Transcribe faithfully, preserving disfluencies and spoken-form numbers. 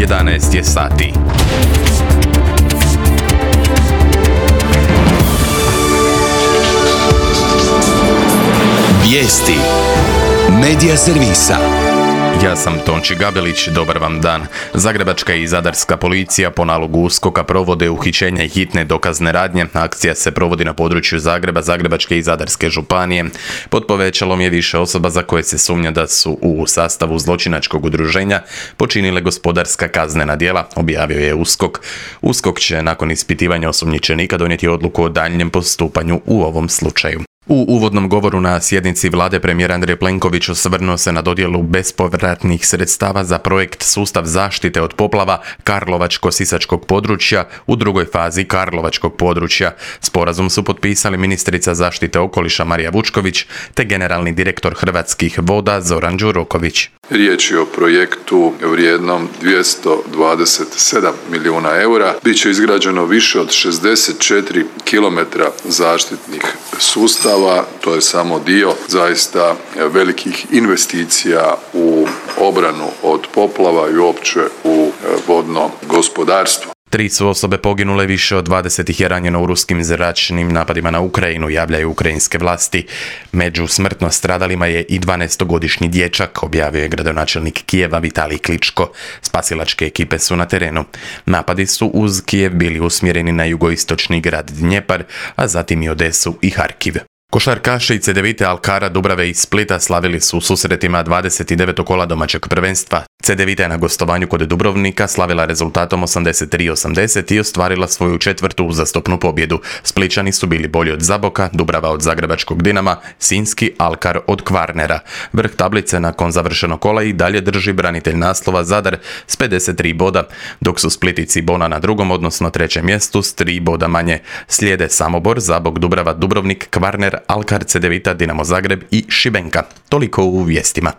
jedanaest je sati. Vijesti Medija servisa. Ja sam Tonči Gabelić, dobar vam dan. Zagrebačka i zadarska policija po nalogu USKOK-a provode uhićenja i hitne dokazne radnje. Akcija se provodi na području Zagreba, Zagrebačke i Zadarske županije. Pod povećalom je više osoba za koje se sumnja da su u sastavu zločinačkog udruženja počinile gospodarska kaznena djela, objavio je USKOK. USKOK će nakon ispitivanja osumnjičenika donijeti odluku o daljnjem postupanju u ovom slučaju. U uvodnom govoru na sjednici vlade premijer Andrej Plenković osvrnuo se na dodjelu bespovratnih sredstava za projekt Sustav zaštite od poplava Karlovačko-sisačkog područja u drugoj fazi Karlovačkog područja. Sporazum su potpisali ministrica zaštite okoliša Marija Vučković te generalni direktor Hrvatskih voda Zoran Đuroković. Riječ je o projektu vrijednom dvjesto dvadeset sedam milijuna eura. Biće izgrađeno više od šezdeset četiri kilometra zaštitnih sustava. To je samo dio zaista velikih investicija u obranu od poplava i uopće u vodno gospodarstvo. Tri su osobe poginule, više od dvadeset ih je ranjeno u ruskim zračnim napadima na Ukrajinu, javljaju ukrajinske vlasti. Među smrtno stradalima je i dvanaestogodišnji dječak, objavio je gradonačelnik Kijeva Vitalij Kličko. Spasilačke ekipe su na terenu. Napadi su uz Kijev bili usmjereni na jugoistočni grad Dnjepar, a zatim i Odesu i Harkiv. Košarkaši i Cedevite, Alkara, Dubrave i Splita slavili su u susretima dvadeset devetog kola domaćeg prvenstva. Cedevita je na gostovanju kod Dubrovnika slavila rezultatom osamdeset tri osamdeset i ostvarila svoju četvrtu uzastopnu pobjedu. Splićani su bili bolji od Zaboka, Dubrava od Zagrebačkog Dinama, Sinjski Alkar od Kvarnera. Vrh tablice nakon završenog kola i dalje drži branitelj naslova Zadar s pedeset tri boda, dok su Split i Cibona na drugom, odnosno trećem mjestu s tri boda manje. Slijede Samobor, Zabok, Dubrava, Dubrovnik, Kvarner, Alkar, Cedevita, Dinamo Zagreb i Šibenka. Toliko u vijestima.